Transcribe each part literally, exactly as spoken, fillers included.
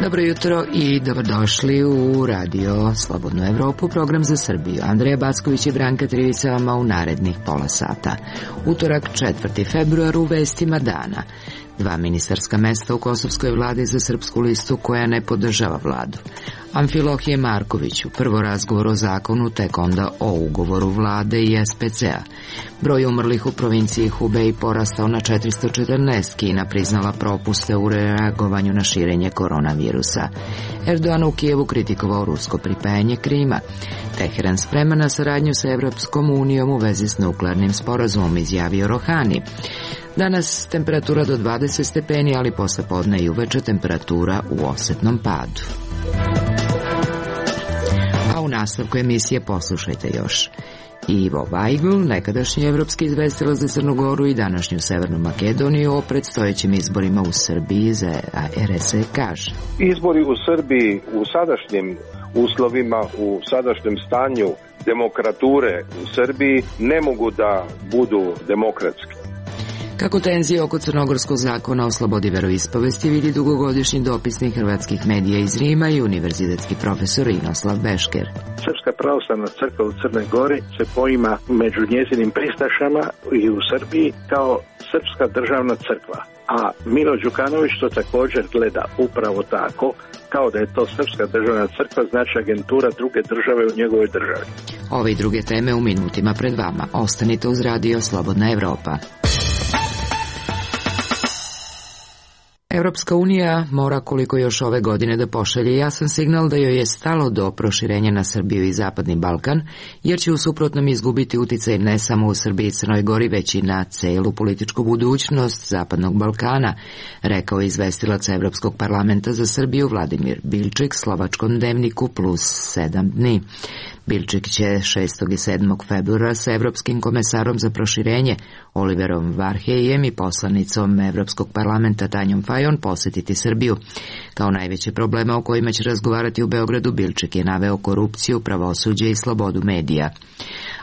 Dobro jutro i dobrodošli u Radio Slobodnu Evropu, program za Srbiju. Andreja Backović i Branka Trivica vama u narednih pola sata. Utorak, četvrti februar, u vestima dana. Dva ministarska mesta u kosovskoj vladi za Srpsku listu koja ne podržava vladu. Amfilohije Markoviću, prvo razgovor o zakonu, tek onda o ugovoru vlade i es pe ce a. Broj umrlih u provinciji Hubei porastao na četiristo četrnaest, Kina priznala propuste u reagovanju na širenje koronavirusa. Erdogan u Kijevu kritikovao rusko pripajanje Krima. Teheran sprema na saradnju sa Evropskom unijom u vezi s nuklearnim sporazumom, izjavio Rohani. Danas temperatura do dvadeset stepeni, ali posle podne i uveče temperatura u osetnom padu. A u nastavku emisije poslušajte još Ivo Vajgl, nekadašnji evropski izvestilac za Crnu Goru i današnju Severnu Makedoniju, o predstojećim izborima u Srbiji za er es e kaže. Izbori u Srbiji u sadašnjim uslovima, u sadašnjem stanju demokrature u Srbiji ne mogu da budu demokratski. Kako tenzije oko crnogorskog zakona o slobodi veroispovesti vidi dugogodišnji dopisnik hrvatskih medija iz Rima i univerzitetski profesor Inoslav Bešker. Srpska pravoslavna crkva u Crnoj Gori se poima među njezinim pristašama i u Srbiji kao srpska državna crkva. A Milo Đukanović to također gleda upravo tako, kao da je to srpska državna crkva, znači agentura druge države u njegovoj državi. Ove i druge teme u minutima pred vama. Ostanite uz Radio Slobodna Evropa. Evropska unija mora koliko još ove godine da pošalje jasan signal da joj je stalo do proširenja na Srbiju i Zapadni Balkan, jer će u suprotnom izgubiti uticaj ne samo u Srbiji i Crnoj Gori, već i na celu političku budućnost Zapadnog Balkana, rekao je izvestilac Evropskog parlamenta za Srbiju Vladimir Bilčik slovačkom dnevniku Plus sedam dni. Bilčik će šestog i sedmog februara sa Evropskim komesarom za proširenje Oliverom Varhejem i poslanicom Evropskog parlamenta Tanjom Fajon posetiti Srbiju. Kao najveće problema o kojima će razgovarati u Beogradu, Bilčik je naveo korupciju, pravosuđe i slobodu medija.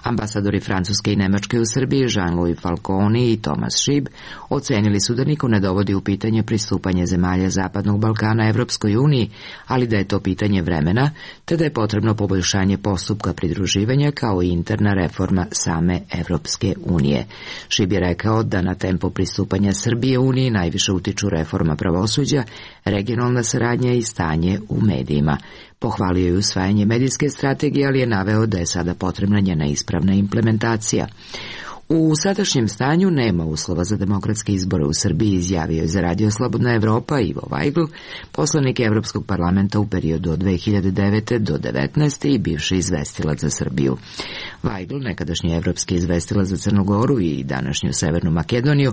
Ambasadori Francuske i Nemačke u Srbiji, Jean-Louis Falconi i Thomas Schieb, ocenili su da niko ne dovodi u pitanje pristupanje zemalja Zapadnog Balkana Evropskoj uniji, ali da je to pitanje vremena, te da je potrebno poboljšanje postupka pridruživanja kao i interna reforma same Evropske unije. Schieb je rekao da na tempo pristupanja Srbije uniji najviše utiču reforma pravosuđa, regionalna saradnja i stanje u medijima. Pohvalio je usvajanje medijske strategije, ali je naveo da je sada potrebna njena ispravna implementacija. U sadašnjem stanju nema uslova za demokratske izbore u Srbiji, izjavio je za Radio Slobodna Evropa Ivo Vajgl, poslanik Evropskog parlamenta u periodu od dve hiljade devete do devetnaeste i bivši izvestilac za Srbiju. Vajgl, nekadašnji evropski izvestilac za Crnu Goru i današnju Severnu Makedoniju,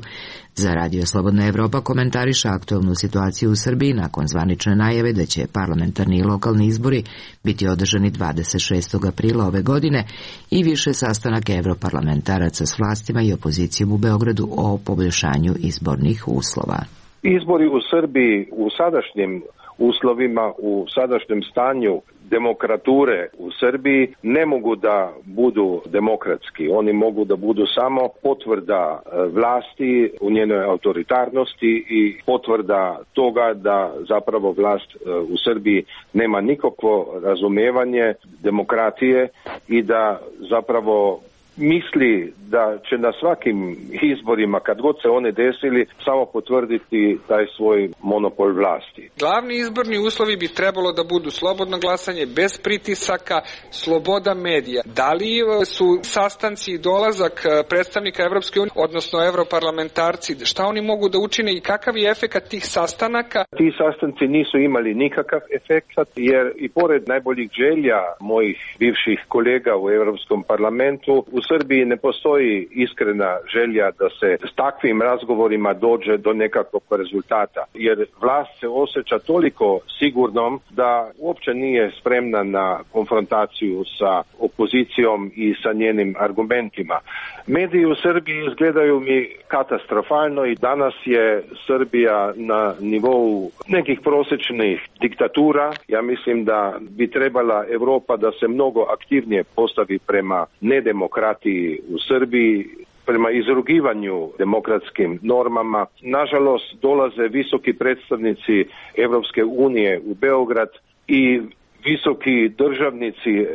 za Radio Slobodna Evropa komentariše aktualnu situaciju u Srbiji nakon zvanične najave da će parlamentarni i lokalni izbori biti održani dvadeset šestog aprila ove godine i više sastanak evroparlamentaraca s vlastima i opozicijom u Beogradu o poboljšanju izbornih uslova. Izbori u Srbiji u sadašnjim uslovima, u sadašnjem stanju demokrature u Srbiji ne mogu da budu demokratski. Oni mogu da budu samo potvrda vlasti u njenoj autoritarnosti i potvrda toga da zapravo vlast u Srbiji nema nikakvo razumevanje demokratije i da zapravo misli da će na svakim izborima, kad god se one desili, samo potvrditi taj svoj monopol vlasti. Glavni izborni uslovi bi trebalo da budu slobodno glasanje, bez pritisaka, sloboda medija. Da li su sastanci i dolazak predstavnika Evropske unije, odnosno evroparlamentarci, šta oni mogu da učine i kakav je efekat tih sastanaka? Ti sastanci nisu imali nikakav efekat, jer i pored najboljih želja mojih bivših kolega u Evropskom parlamentu, u Srbiji ne postoji iskrena želja da se s takvim razgovorima dođe do nekakvog rezultata, jer vlast se osjeća toliko sigurnom da uopće nije spremna na konfrontaciju sa opozicijom i sa njenim argumentima. Mediji u Srbiji izgledaju mi katastrofalno i danas je Srbija na nivou nekih prosječnih diktatura. Ja mislim da bi trebala Evropa da se mnogo aktivnije postavi prema nedemokratiji u Srbiji, prema izrugivanju demokratskim normama. Nažalost, dolaze visoki predstavnici Evropske unije u Beograd i visoki državnici e,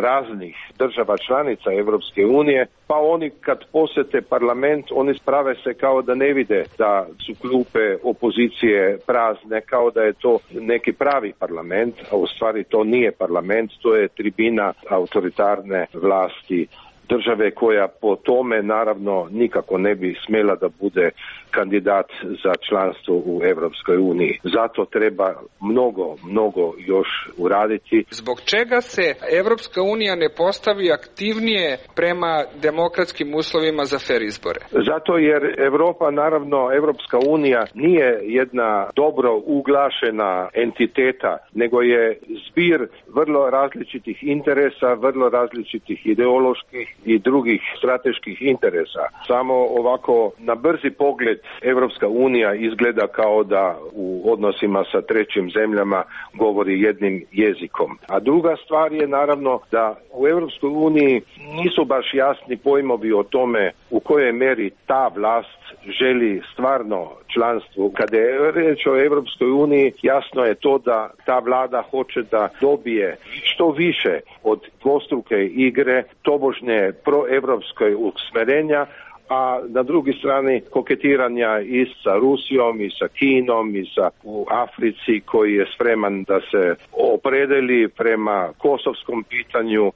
raznih država članica Evropske unije, pa oni kad posete parlament, oni sprave se kao da ne vide da su klupe opozicije prazne, kao da je to neki pravi parlament, a u stvari to nije parlament, to je tribina autoritarne vlasti države koja po tome naravno nikako ne bi smjela da bude kandidat za članstvo u Evropskoj uniji. Zato treba mnogo, mnogo još uraditi. Zbog čega se Evropska unija ne postavi aktivnije prema demokratskim uslovima za fer izbore? Zato jer Evropa, naravno Evropska unija nije jedna dobro uglašena entiteta, nego je zbir vrlo različitih interesa, vrlo različitih ideoloških i drugih strateških interesa. Samo ovako na brzi pogled Evropska unija izgleda kao da u odnosima sa trećim zemljama govori jednim jezikom. A druga stvar je naravno da u Evropskoj uniji nisu baš jasni pojmovi o tome u kojoj meri ta vlast želi stvarno članstvo. Kada je reč o Evropskoj uniji, jasno je to da ta vlada hoće da dobije što više od dvostruke igre, tobožnje proevropskoj usmerenja, a na drugi strani koketiranja i sa Rusijom i sa Kinom i sa u Africi koji je spreman da se opredeli prema kosovskom pitanju.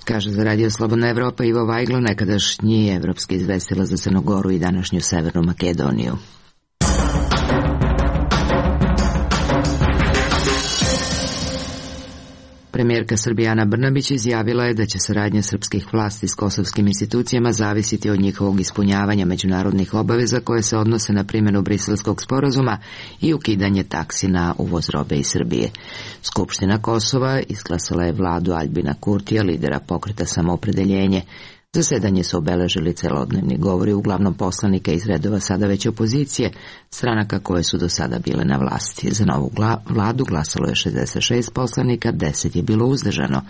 Kaže za Radio Slobodna Evropa Ivo Vajglo, nekadašnji evropski izvestilac za Crnu Goru i današnju Severnu Makedoniju. Premijerka Srbije Ana Brnabić izjavila je da će saradnja srpskih vlasti s kosovskim institucijama zavisiti od njihovog ispunjavanja međunarodnih obaveza koje se odnose na primjenu Briselskog sporazuma i ukidanje taksi na uvoz robe iz Srbije. Skupština Kosova izglasala je vladu Aljbina Kurtija, lidera pokreta Samoopredeljenje. Zasedanje su obeležili celodnevni govori uglavnom poslanika iz redova sada već opozicije, stranaka koje su do sada bile na vlasti. Za novu vladu glasalo je šezdeset šest poslanika, deset je bilo uzdržano.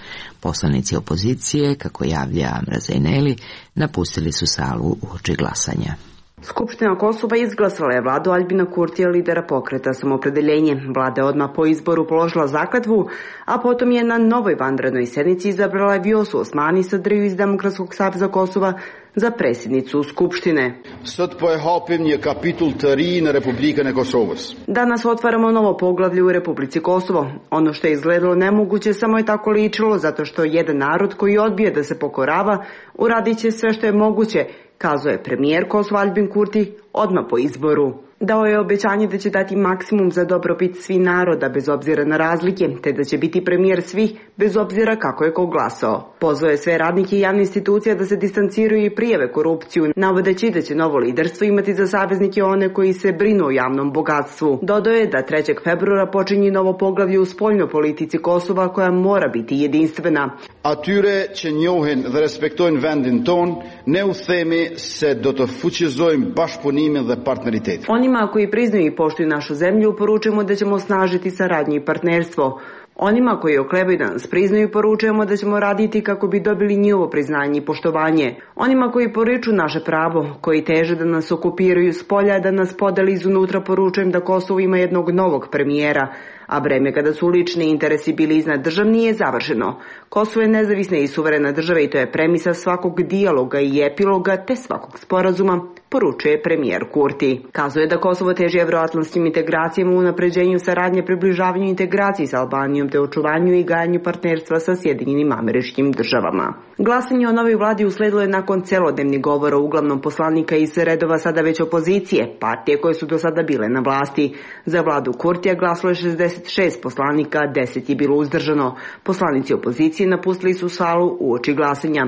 Poslanici opozicije, kako javlja Amra Zejneli, napustili su salu uoči glasanja. Skupština Kosova izglasala je vladu Aljbina Kurtija, lidera pokreta Samoopredeljenje. Vlada je odmah po izboru položila zakletvu, a potom je na novoj vanrednoj sednici izabrala Vjosu Osmani Sadriju iz Demokratskog saveza Kosova za predsjednicu Skupštine. Danas otvaramo novo poglavlje u Republici Kosovo. Ono što je izgledalo nemoguće samo je tako ličilo, zato što jedan narod koji odbije da se pokorava uradit će sve što je moguće, kazao je premijer Kosova Aljbin Kurti odmah po izboru. Dao je obećanje da će dati maksimum za dobrobit svih naroda bez obzira na razlike, te da će biti premijer svih bez obzira kako je ko glasao. Pozvao je sve radnike i javne institucije da se distanciraju i prijave korupciju, navodeći da će novo liderstvo imati za saveznike one koji se brinu o javnom bogatstvu. Dodao je da trećeg februara počinje novo poglavlje u spoljnoj politici Kosova koja mora biti jedinstvena. Atyre që njohin dhe respektojnë vendin ton, ne u themi se do të fuqizojmë bashkëpunimin dhe partneritetin. Onima koji priznaju i poštuju našu zemlju poručujemo da ćemo osnažiti saradnju i partnerstvo. Onima koji oklevaju da nas priznaju poručujemo da ćemo raditi kako bi dobili njihovo priznanje i poštovanje. Onima koji poriču naše pravo, koji teže da nas okupiraju s polja, da nas podeli izunutra, poručujem da Kosovo ima jednog novog premijera, a vreme kada su lični interesi bili iznad državni je završeno. Kosovo je nezavisna i suverena država i to je premisa svakog dijaloga i epiloga te svakog sporazuma, poručuje premijer Kurti. Kazuje da Kosovo teži evroatlantskim integracijama, u unapređenju saradnje, približavanju integraciji sa Albanijom te očuvanju i gajanju partnerstva sa Sjedinjenim Američkim Državama. Glasanje o novoj vladi usledilo je nakon celodnevnih govora uglavnom poslanika iz redova sada već opozicije, partije koje su do sada bile na vlasti. Za vladu Kurtija glasalo je šezdeset šest poslanika, deset je bilo uzdržano. Poslanici opozicije napustili su salu uoči glasanja.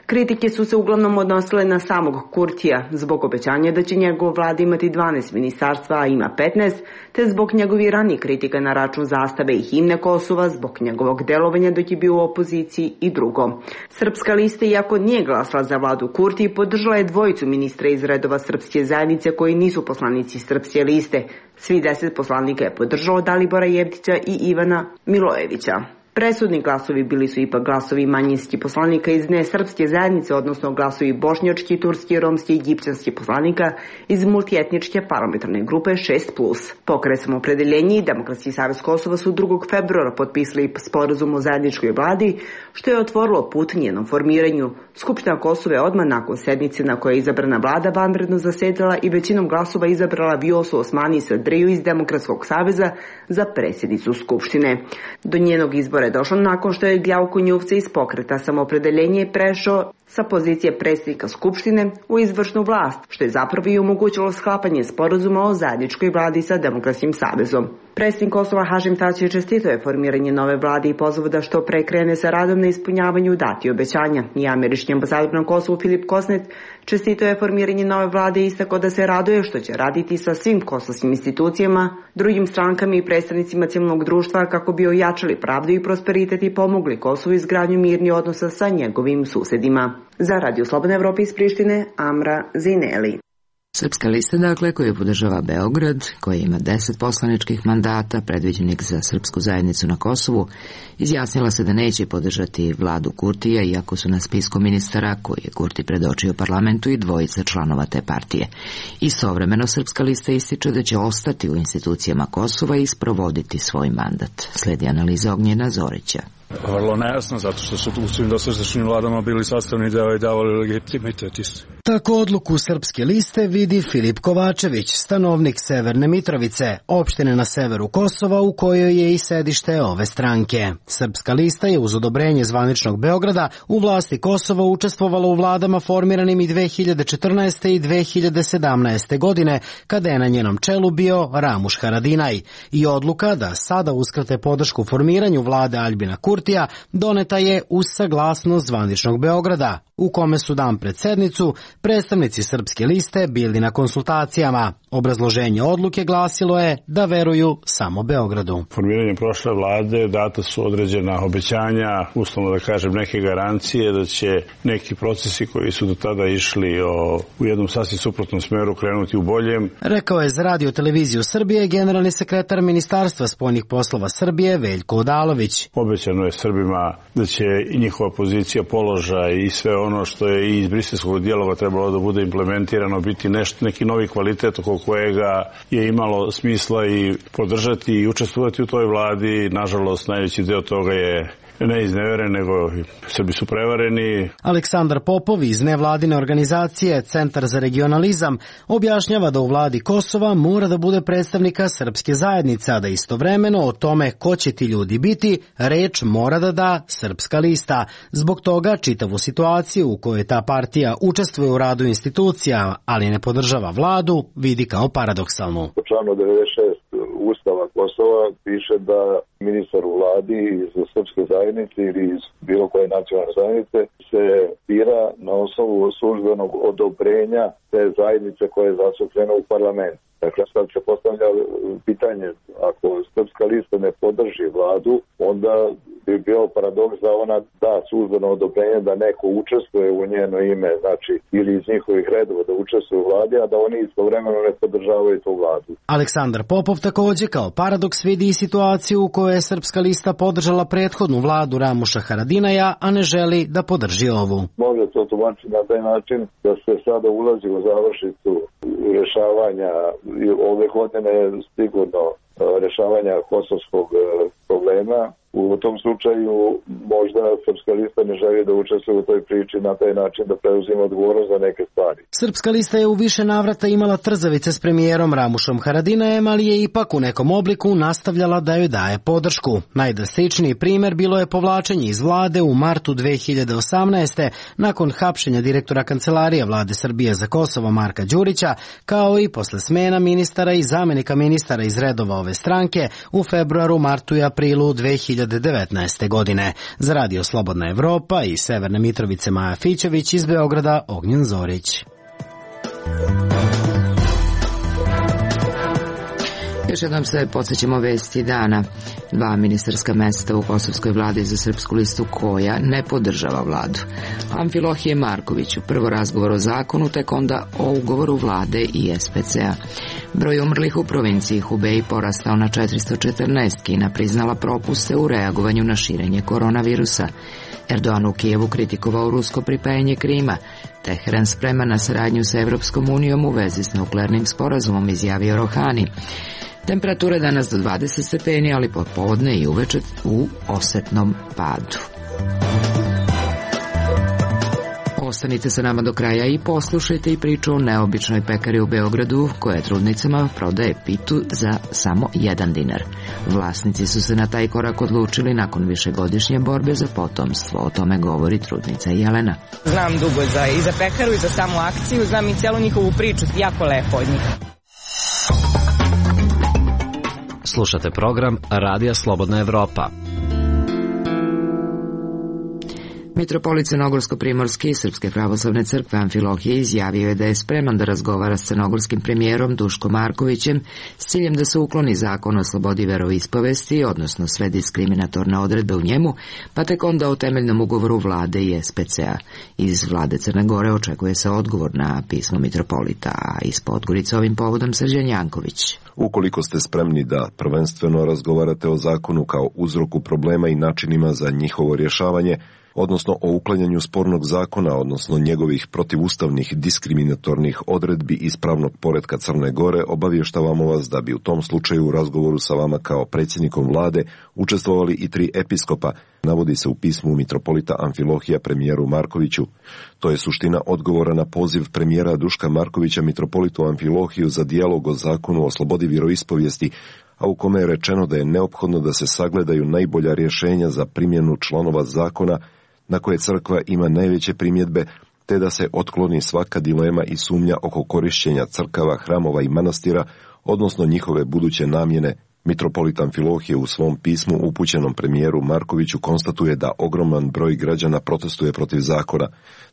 Kritike su se uglavnom odnosile na samog Kurtija zbog obećanja da će njegov vlada imati dvanaest ministarstva, a ima petnaest, te zbog njegovih ranijih kritika na račun zastave i himne Kosova, zbog njegovog delovanja dok je bio u opoziciji i drugo. Srpska lista, iako nije glasala za vladu Kurti, podržala je dvojicu ministra iz redova srpske zajednice koji nisu poslanici Srpske liste. Svi deset poslanika je podržalo Dalibora Jevtića i Ivana Milojevića. Presudni glasovi bili su ipak glasovi manjinskih poslanika iz nesrpske zajednice, odnosno glasovi bošnjački, turski, romski i egipćanski poslanika iz multietničke parlamentarne grupe šest plus. Pokret Samoopredeljenje i Demokratski savez Kosova su drugog februara potpisali sporazum o zajedničkoj vladi, što je otvorilo put njenom formiranju. Skupština Kosova je odmah nakon sednice na kojoj je izabrana vlada vanredno zasedala i većinom glasova izabrala Vjosu Osmani Sadriju iz Demokratskog saveza za predsjednicu Skupštine. Do njenog izbora je došlo nakon što je Gljavko Njuvce iz Pokreta Samoopredeljenje prešao sa pozicije predsjednika Skupštine u izvršnu vlast, što je zapravo i omogućilo sklapanje sporazuma o zajedničkoj vladi sa Demokratskim savezom. Predsjednik Kosova Hašim Tači čestitao je formiranje nove vlade i pozvao da što pre krene sa radom na ispunjavanju dati obećanja. I američki ambasador na Kosovu Filip Kosnet čestitao je formiranje nove vlade i istakao da se raduje što će raditi sa svim kosovskim institucijama, drugim strankama i predstavnicima civilnog društva kako bi ojačali pravdu i prosperitet i pomogli Kosovu izgradnju mirnih odnosa sa njegovim susedima. Za Radio Slobodna Evropa iz Prištine, Amra Zineli. Srpska lista, dakle, koju podržava Beograd, koja ima deset poslaničkih mandata predviđenih za srpsku zajednicu na Kosovu, izjasnila se da neće podržati vladu Kurtija, iako su na spisku ministara koji je Kurti predočio parlamentu i dvojica članova te partije. Istovremeno, Srpska lista ističe da će ostati u institucijama Kosova i sprovoditi svoj mandat. Sledi analiza Ognjena Zorića. Vrlo nejasno, zato što su u svim dosadašnjim vladama bili sastavni deo i davali legitimitet isto. Tako odluku Srpske liste vidi Filip Kovačević, stanovnik Severne Mitrovice, opštine na severu Kosova u kojoj je i sedište ove stranke. Srpska lista je uz odobrenje zvaničnog Beograda u vlasti Kosova učestvovala u vladama formiranim i dve hiljade četrnaeste. i dve hiljade sedamnaeste. godine, kada je na njenom čelu bio Ramuš Haradinaj. I odluka da sada uskrate podršku formiranju vlade Aljbina Kurtija doneta je uz saglasnost zvaničnog Beograda, u kome su dan pred sednicu predstavnici Srpske liste bili na konsultacijama. Obrazloženje odluke glasilo je da veruju samo Beogradu. Formiranjem prošle vlade data su određena obećanja, uslovno da kažem neke garancije da će neki procesi koji su do tada išli o, u jednom sasvim suprotnom smeru krenuti u boljem. Rekao je za Radio televiziju Srbije generalni sekretar Ministarstva spoljnih poslova Srbije Veljko Odalović. Obećano je Srbima da će i njihova pozicija, položaj i sve ono što je i iz briselskog dijaloga trebalo da bude implementirano biti nešto, neki novi kvalitet oko kojega je imalo smisla i podržati i učestvovati u toj vladi. Nažalost, najveći deo toga je ne izneveren, nego Srbi su prevareni. Aleksandar Popov iz nevladine organizacije Centar za regionalizam objašnjava da u vladi Kosova mora da bude predstavnika srpske zajednice, a da istovremeno o tome ko će ti ljudi biti reč mora da da Srpska lista. Zbog toga čitavu situaciju u kojoj ta partija učestvuje u radu institucija, ali ne podržava vladu, vidi kao paradoksalnu. U članu devedeset šest Ustava Kosova piše da ministar u vladi iz srpske zajednice ili iz bilo koje nacionalne zajednice se bira na osnovu službenog odobrenja te zajednice koja je zastupljena u parlamentu. Dakle, sad se postavlja pitanje, ako Srpska lista ne podrži vladu, onda bi bio paradoks da ona da službeno odobrenje da neko učestvuje u njeno ime, znači ili iz njihovih redova da učestvuje u vladi, a da oni istovremeno ne podržavaju tu vladu. Aleksandar Popov takođe kao paradoks vidi i situaciju u kojoj je Srpska lista podržala prethodnu vladu Ramuša Haradinaja, a ne želi da podrži ovu. Može to tumačiti na taj način da se sada ulazi u završnicu rešavanja ove godine sigurno rešavanja kosovskog problema. U tom slučaju možda Srpska lista ne želi da učestvuje u toj priči na taj način da preuzima odgovornost za neke stvari. Srpska lista je u više navrata imala trzavice s premijerom Ramušom Haradinajem, ali je ipak u nekom obliku nastavljala da joj daje podršku. Najdrastičniji primer bilo je povlačenje iz vlade u martu dve hiljade osamnaeste. nakon hapšenja direktora Kancelarije vlade Srbije za Kosovo Marka Đurića, kao i posle smena ministara i zamenika ministara iz redova ove stranke u februaru, martu i aprilu dve hiljade devetnaeste. godine. Za Radio Slobodna Evropa i Severne Mitrovice Maja Fićević, iz Beograda Ognjen Zorić. Još jednom se podsjećamo vesti dana. Dva ministarska mesta u kosovskoj vladi za Srpsku listu koja ne podržava vladu. Amfilohije Markoviću prvo razgovor o zakonu, tek onda o ugovoru vlade i es pe ce a. Broj umrlih u provinciji Hubei porastao na četiristo četrnaest, Kina priznala propuste u reagovanju na širenje koronavirusa. Erdogan u Kijevu kritikovao rusko pripajanje Krima. Teheran spreman na saradnju sa Evropskom unijom u vezi s nuklearnim sporazumom, izjavio Rohani. Temperature danas do dvadeset stepeni, ali popodne i uveče u osetnom padu. Ostanite sa nama do kraja i poslušajte i priču o neobičnoj pekari u Beogradu koja trudnicama prodaje pitu za samo jedan dinar. Vlasnici su se na taj korak odlučili nakon višegodišnje borbe za potomstvo. O tome govori trudnica Jelena. Znam dugo za, i za pekaru i za samu akciju, znam i cijelu njihovu priču, jako lepo od njih. Slušate program Radija Slobodna Evropa. Mitropolit Crnogorsko-primorski Srpske pravoslavne crkve Amfilohije izjavio je da je spreman da razgovara s crnogorskim premijerom Duškom Markovićem s ciljem da se ukloni zakon o slobodi veroispovesti, odnosno sve diskriminatorne odredbe u njemu, pa tek onda o temeljnom ugovoru vlade i es pe ce a. Iz vlade Crne Gore očekuje se odgovor na pismo mitropolita, a iz Podgorice ovim povodom Srđan Janković. Ukoliko ste spremni da prvenstveno razgovarate o zakonu kao uzroku problema i načinima za njihovo rješavanje, odnosno o uklanjanju spornog zakona, odnosno njegovih protivustavnih diskriminatornih odredbi iz pravnog poretka Crne Gore, obavještavamo vas da bi u tom slučaju u razgovoru sa vama kao predsjednikom vlade učestvovali i tri episkopa, navodi se u pismu mitropolita Amfilohija premijeru Markoviću. To je suština odgovora na poziv premijera Duška Markovića mitropolitu Amfilohiju za dijalog o zakonu o slobodi vjeroispovijesti, a u kome je rečeno da je neophodno da se sagledaju najbolja rješenja za primjenu članova zakona na koje crkva ima najveće primjedbe, te da se otkloni svaka dilema i sumnja oko korišćenja crkava, hramova i manastira, odnosno njihove buduće namjene. Mitropolit Amfilohije u svom pismu upućenom premijeru Markoviću konstatuje da ogroman broj građana protestuje protiv zakona,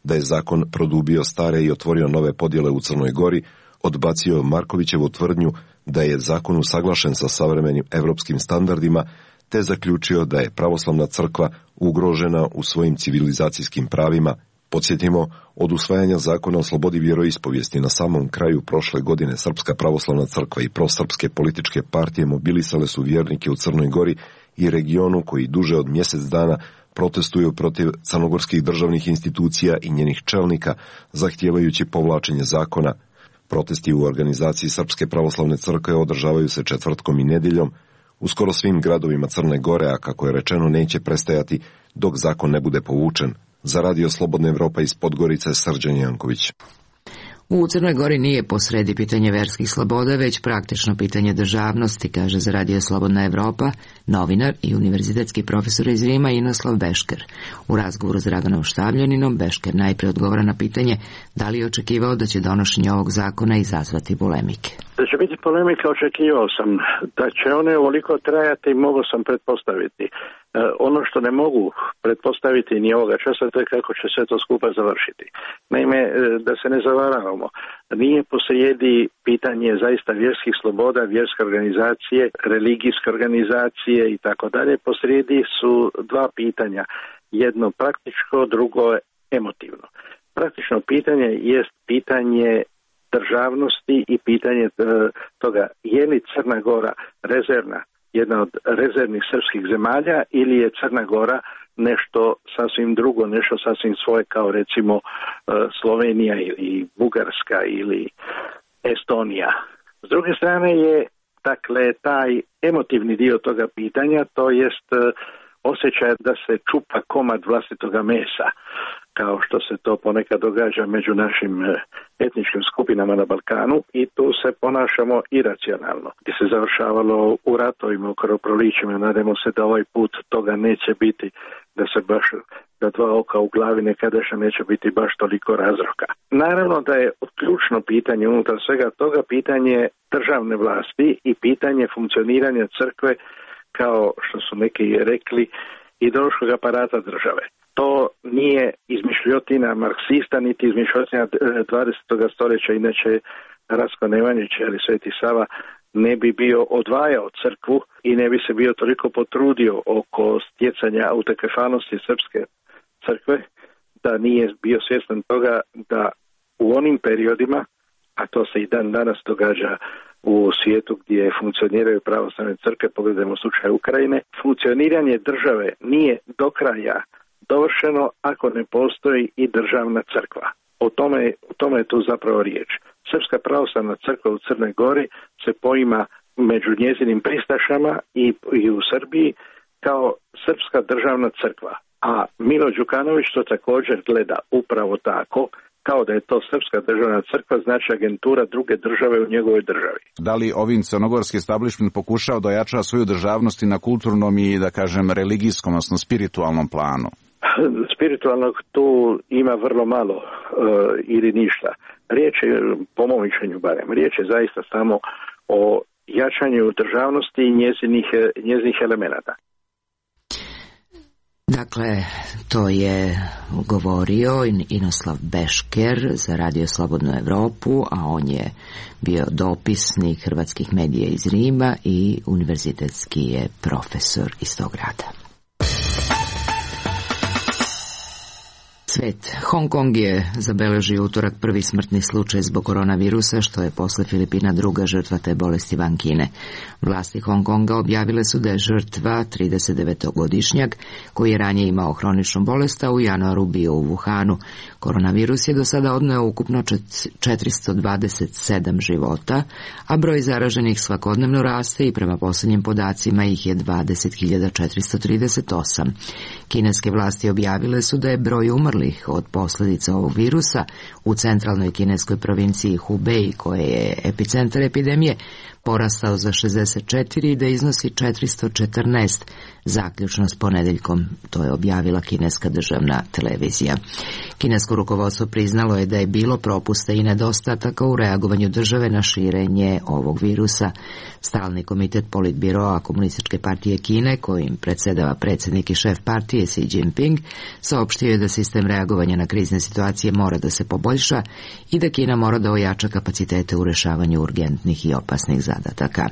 da je zakon produbio stare i otvorio nove podjele u Crnoj Gori, odbacio Markovićevu tvrdnju da je zakon usaglašen sa savremenim evropskim standardima, te zaključio da je pravoslavna crkva ugrožena u svojim civilizacijskim pravima. Podsjetimo, od usvajanja zakona o slobodi vjeroispovijesti na samom kraju prošle godine Srpska pravoslavna crkva i prosrpske političke partije mobilisale su vjernike u Crnoj Gori i regionu koji duže od mjesec dana protestuju protiv crnogorskih državnih institucija i njenih čelnika, zahtijevajući povlačenje zakona. Protesti u organizaciji Srpske pravoslavne crkve održavaju se četvrtkom i nedjeljom u skoro svim gradovima Crne Gore, a kako je rečeno neće prestajati dok zakon ne bude povučen. Za Radio Slobodna Evropa iz Podgorice, Srđan Janković. U Crnoj Gori nije posredi pitanje verskih sloboda, već praktično pitanje državnosti, kaže za Radio Slobodna Evropa novinar i univerzitetski profesor iz Rima Inoslav Bešker. U razgovoru s Draganom Štavljaninom Bešker najprije odgovara na pitanje da li je očekivao da će donošenje ovog zakona izazvati polemike. Da će biti polemika, očekivao sam. Da će one ovoliko trajati, mogao sam pretpostaviti. Ono što ne mogu pretpostaviti ni ovoga časa, to je kako će sve to skupa završiti. Naime, da se ne zavaravamo, nije posrijedi pitanje zaista vjerskih sloboda, vjerske organizacije, religijske organizacije i tako dalje. Posrijedi su dva pitanja. Jedno praktičko, drugo emotivno. Praktično pitanje jest pitanje državnosti i pitanje toga je li Crna Gora rezervna, jedna od rezervnih srpskih zemalja, ili je Crna Gora nešto sasvim drugo, nešto sasvim svoje kao recimo Slovenija ili Bugarska ili Estonija. S druge strane je dakle taj emotivni dio toga pitanja, to jest osjećaj da se čupa komad vlastitoga mesa, kao što se to ponekad događa među našim etničkim skupinama na Balkanu, i tu se ponašamo iracionalno. Gdje se završavalo u ratovima, u krvoprolićima, nadamo se da ovaj put toga neće biti, da se baš da dva oka u glavi nekadašnja neće biti baš toliko razroka. Naravno da je ključno pitanje unutar svega toga pitanje državne vlasti i pitanje funkcioniranja crkve, kao što su neki rekli, ideološkog aparata države. To nije izmišljotina marksista, niti izmišljotina dvadesetog stoljeća, inače Ratko Nemanjić ili Sveti Sava ne bi bio odvajao crkvu i ne bi se bio toliko potrudio oko stjecanja autokefanosti srpske crkve, da nije bio svjestan toga da u onim periodima, a to se i dan danas događa u svijetu gdje funkcioniraju pravoslavne crkve, pogledajmo slučaj Ukrajine. Funkcioniranje države nije do kraja dovršeno ako ne postoji i državna crkva. O tome, o tome je tu zapravo riječ. Srpska pravoslavna crkva u Crnoj Gori se poima među njezinim pristašama i, i u Srbiji kao srpska državna crkva. A Milo Đukanović to također gleda upravo tako, kao da je to srpska državna crkva, znači agentura druge države u njegovoj državi. Da li ovim crnogorski establishment pokušao da ojača svoju državnost i na kulturnom i, da kažem, religijskom, odnosno spiritualnom planu? Spiritualnog tu ima vrlo malo e, ili ništa. Riječ je, po mom mišljenju barem, riječ je zaista samo o jačanju državnosti i njezinih, njezinih elemenata. Dakle, to je govorio Inoslav Bešker za Radio Slobodnu Evropu, a on je bio dopisnik hrvatskih medija iz Rima i univerzitetski je profesor iz tog grada. Svet. Hong Kong je zabeležio utorak prvi smrtni slučaj zbog koronavirusa, što je posle Filipina druga žrtva te bolesti van Kine. Vlasti Hong Konga objavile su da je žrtva tridesetdevetogodišnjak koji je ranije imao hroničnu bolest, a u januaru bio u Wuhanu. Koronavirus je do sada odneo ukupno četiristo dvadeset sedam života, a broj zaraženih svakodnevno raste i prema posljednjim podacima ih je dvadeset hiljada četiristo trideset osam. Kineske vlasti objavile su da je broj umrlih od posljedica ovog virusa u centralnoj kineskoj provinciji Hubei, koje je epicentar epidemije, porastao za šezdeset četiri i da iznosi četiristo četrnaest, zaključno s ponedeljkom, to je objavila kineska državna televizija. Kinesko rukovodstvo priznalo je da je bilo propusta i nedostataka u reagovanju države na širenje ovog virusa. Stalni komitet politbiroa Komunističke partije Kine, kojim predsjedava predsjednik i šef partije Xi Jinping, saopštio je da sistem reagovanja na krizne situacije mora da se poboljša i da Kina mora da ojača kapacitete u rešavanju urgentnih i opasnih zadataka.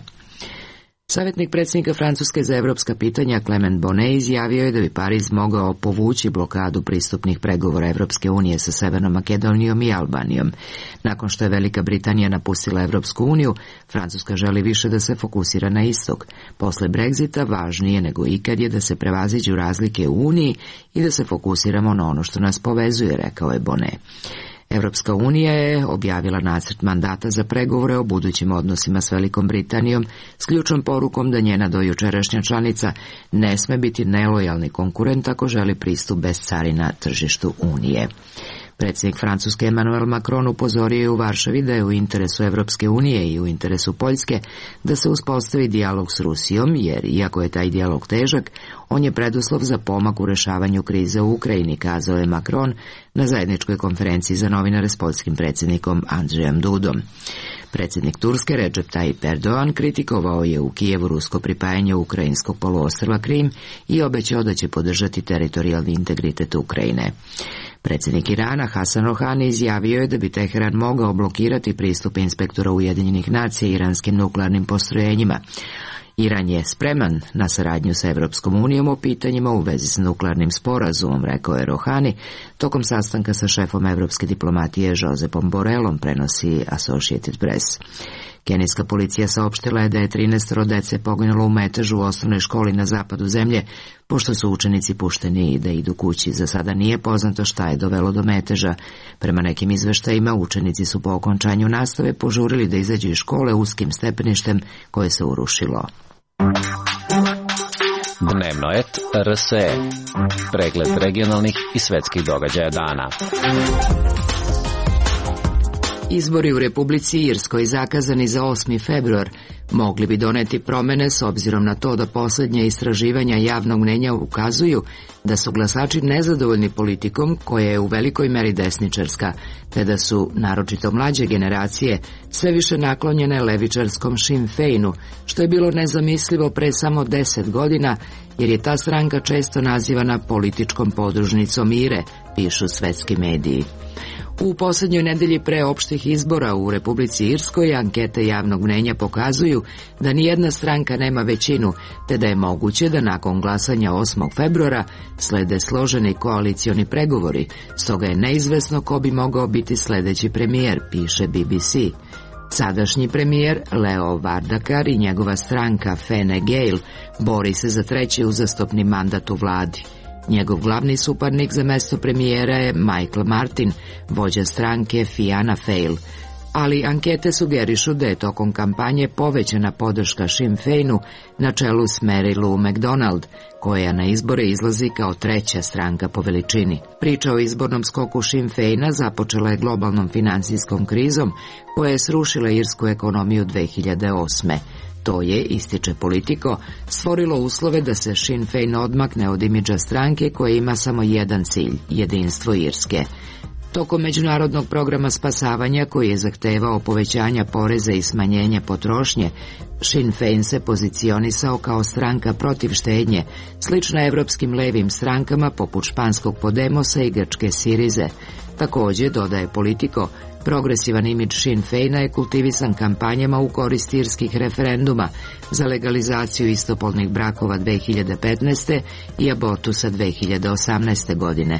Savjetnik predsjednika Francuske za evropska pitanja Clement Bonnet izjavio je da bi Pariz mogao povući blokadu pristupnih pregovora Evropske unije sa Severnom Makedonijom i Albanijom. Nakon što je Velika Britanija napustila Evropsku uniju, Francuska želi više da se fokusira na istok. Posle Brexita važnije nego ikad je da se prevaziđu razlike u Uniji i da se fokusiramo na ono što nas povezuje, rekao je Bonnet. Evropska unija je objavila nacrt mandata za pregovore o budućim odnosima s Velikom Britanijom s ključnom porukom da njena dojučerašnja članica ne sme biti nelojalni konkurent ako želi pristup bez carina tržištu Unije. Predsjednik Francuske Emmanuel Macron upozorio je u Varšavi da je u interesu Evropske unije i u interesu Poljske da se uspostavi dijalog s Rusijom, jer iako je taj dijalog težak, on je preduslov za pomak u rešavanju krize u Ukrajini, kazao je Macron na zajedničkoj konferenciji za novinare s poljskim predsjednikom Andžejem Dudom. Predsjednik Turske Recep Tayyip Erdogan kritikovao je u Kijevu rusko pripajanje ukrajinskog poluostrva Krim i obećao da će podržati teritorijalni integritet Ukrajine. Predsjednik Irana Hasan Rohani izjavio je da bi Teheran mogao blokirati pristup inspektora Ujedinjenih nacija iranskim nuklearnim postrojenjima. Iran je spreman na saradnju sa Evropskom unijom o pitanjima u vezi s nuklearnim sporazumom, rekao je Rohani, tokom sastanka sa šefom evropske diplomatije Josepom Borelom, prenosi Associated Press. Kenijska policija saopštila je da je trinaestoro dece poginulo u metežu u osnovnoj školi na zapadu zemlje, pošto su učenici pušteni da idu kući. Za sada nije poznato šta je dovelo do meteža. Prema nekim izveštajima, učenici su po okončanju nastave požurili da izađu iz škole uskim stepeništem koje se urušilo. Dnevno et R S E. Pregled regionalnih i svetskih događaja dana. Izbori u Republici Irskoj zakazani za osmi februar mogli bi doneti promene s obzirom na to da posljednje istraživanja javnog mnjenja ukazuju da su glasači nezadovoljni politikom koja je u velikoj meri desničarska, te da su, naročito mlađe generacije, sve više naklonjene levičarskom Sinn Feinu, što je bilo nezamislivo pre samo deset godina, jer je ta stranka često nazivana političkom podružnicom Ire, pišu svetski mediji. U posljednjoj nedelji pre opštih izbora u Republici Irskoj ankete javnog mnjenja pokazuju da nijedna stranka nema većinu, te da je moguće da nakon glasanja osmog februara slede složeni koalicioni pregovori, stoga je neizvesno ko bi mogao biti sledeći premijer, piše B B C. Sadašnji premijer Leo Varadkar i njegova stranka Fine Gael bori se za treći uzastopni mandat u vladi. Njegov glavni suparnik za mesto premijera je Michael Martin, vođa stranke Fianna Fáil, ali ankete sugerišu da je tokom kampanje povećana podrška Sinn Féinu na čelu s Mary Lou McDonald, koja na izbore izlazi kao treća stranka po veličini. Priča o izbornom skoku Sinn Féina započela je globalnom finansijskom krizom koja je srušila irsku ekonomiju dve hiljade osme. To je, ističe Politico, stvorilo uslove da se Sinn Féin odmakne od imidža stranke koja ima samo jedan cilj, jedinstvo Irske. Tokom međunarodnog programa spasavanja koji je zahtevao povećanja poreza i smanjenja potrošnje, Sinn Féin se pozicionisao kao stranka protiv štednje, slična evropskim levim strankama poput španskog Podemosa i grčke Sirize. Također, dodaje Politico, progresivan imidž Sinn Féina je kultivisan kampanjama u korist irskih referenduma za legalizaciju istopolnih brakova dve hiljade petnaeste i abortusa dve hiljade osamnaeste. godine.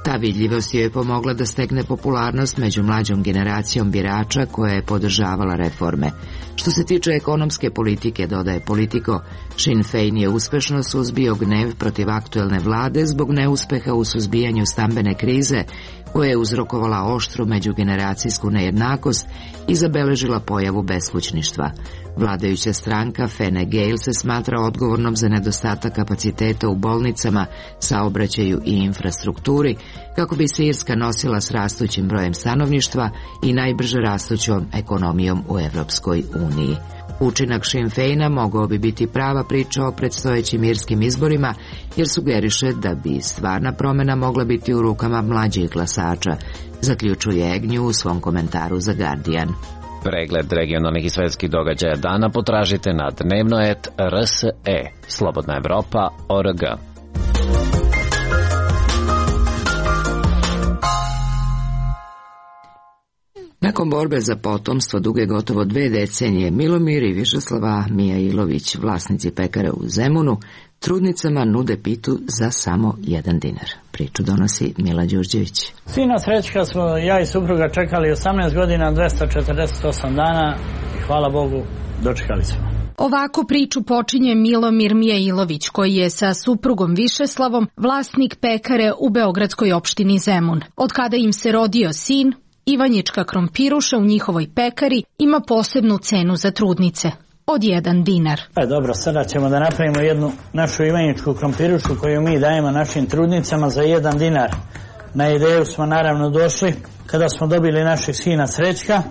Ta vidljivost joj je pomogla da stekne popularnost među mlađom generacijom birača koja je podržavala reforme. Što se tiče ekonomske politike, dodaje Politico, Sinn Féin je uspešno suzbio gnev protiv aktuelne vlade zbog neuspeha u suzbijanju stambene krize koja je uzrokovala oštru međugeneracijsku nejednakost i zabeležila pojavu beskućništva. Vladajuća stranka Fine Gael se smatra odgovornom za nedostatak kapaciteta u bolnicama, saobraćaju i infrastrukturi, kako bi se Irska nosila s rastućim brojem stanovništva i najbrže rastućom ekonomijom u Evropskoj uniji. Učinak Sinn Féina mogao bi biti prava priča o predstojećim irskim izborima, jer sugeriše da bi stvarna promjena mogla biti u rukama mlađih glasača, zaključuje Agnew u svom komentaru za Guardian. Pregled regionalnih i svetskih događaja dana potražite na dnevnoet R S E, Slobodna Evropa, O R G. Nakon borbe za potomstvo duge gotovo dve decenije, Milomir i Višeslava Mijailović, vlasnici pekare u Zemunu, trudnicama nude pitu za samo jedan dinar. Priču donosi Mila Đurđević. Sina Srećka smo ja i supruga čekali osamnaest godina, dvesta četrdeset osam dana i hvala Bogu dočekali smo. Ovako priču počinje Milomir Mijailović, koji je sa suprugom Višeslavom vlasnik pekare u beogradskoj opštini Zemun. Od kada im se rodio sin, Ivanjička krompiruša u njihovoj pekari ima posebnu cenu za trudnice, od jedan dinar. E, dobro, sada ćemo da napravimo jednu našu Ivanjičku krompirušu koju mi dajemo našim trudnicama za jedan dinar. Na ideju smo naravno došli kada smo dobili našeg sina Srećka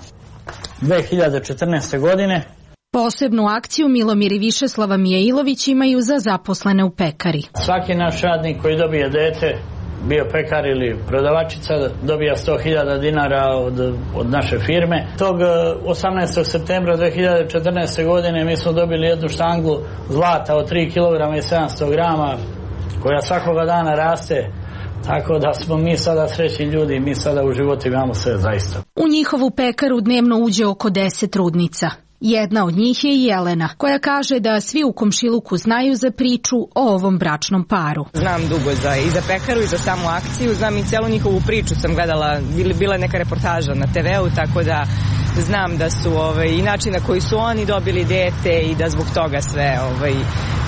dve hiljade četrnaeste. godine. Posebnu akciju Milomir i Višeslava Mijailović imaju za zaposlene u pekari. Svaki naš radnik koji dobije dete, bio pekar ili prodavačica, dobija sto hiljada dinara od, od naše firme. Tog osamnaestog septembra dve hiljade četrnaeste. godine mi smo dobili jednu štanglu zlata od tri kilograma i sedamsto grama koja svakoga dana raste, tako da smo mi sada srećni ljudi, mi sada u životu imamo sve zaista. U njihovu pekaru dnevno uđe oko deset trudnica. Jedna od njih je Jelena, koja kaže da svi u komšiluku znaju za priču o ovom bračnom paru. Znam dugo za, i za pekaru i za samu akciju, znam i celu njihovu priču sam gledala, bila je neka reportaža na te veu, tako da znam da su ovaj, i način na koji su oni dobili dete i da zbog toga sve ovaj,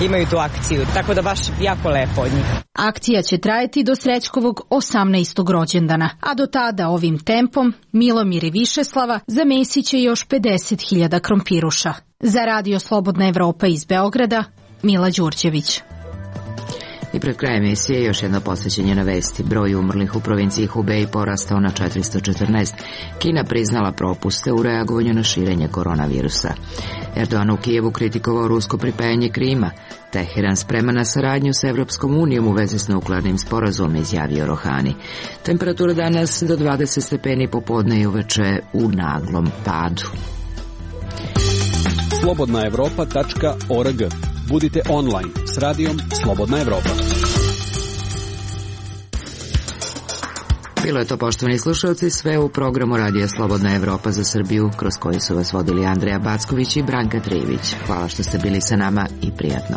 imaju tu akciju, tako da baš jako lepo od njih. Akcija će trajati do Srećkovog osamnaestog rođendana, a do tada ovim tempom Milomir i Višeslava zamesiće još pedeset hiljada krompiruša. Za Radio Slobodna Evropa iz Beograda, Mila Đurđević. I pred krajem emisije još jedno posvećenje na vesti. Broj umrlih u provinciji Hubei porastao na četiristo četrnaest. Kina priznala propuste u reagovanju na širenje koronavirusa. Erdogan u Kijevu kritikovao rusko pripajanje Krima. Teheran sprema na saradnju sa Evropskom unijom u vezi s nuklearnim sporazumom, izjavio Rohani. Temperatura danas do dvadeset stepeni popodne i uveče u naglom padu. slobodna evropa tačka org. Budite online s radijom Slobodna Evropa. Bilo je to, poštovani slušalci, sve u programu Radija Slobodna Evropa za Srbiju, kroz koji su vas vodili Andreja Backović i Branka Trijević. Hvala što ste bili sa nama i prijatno.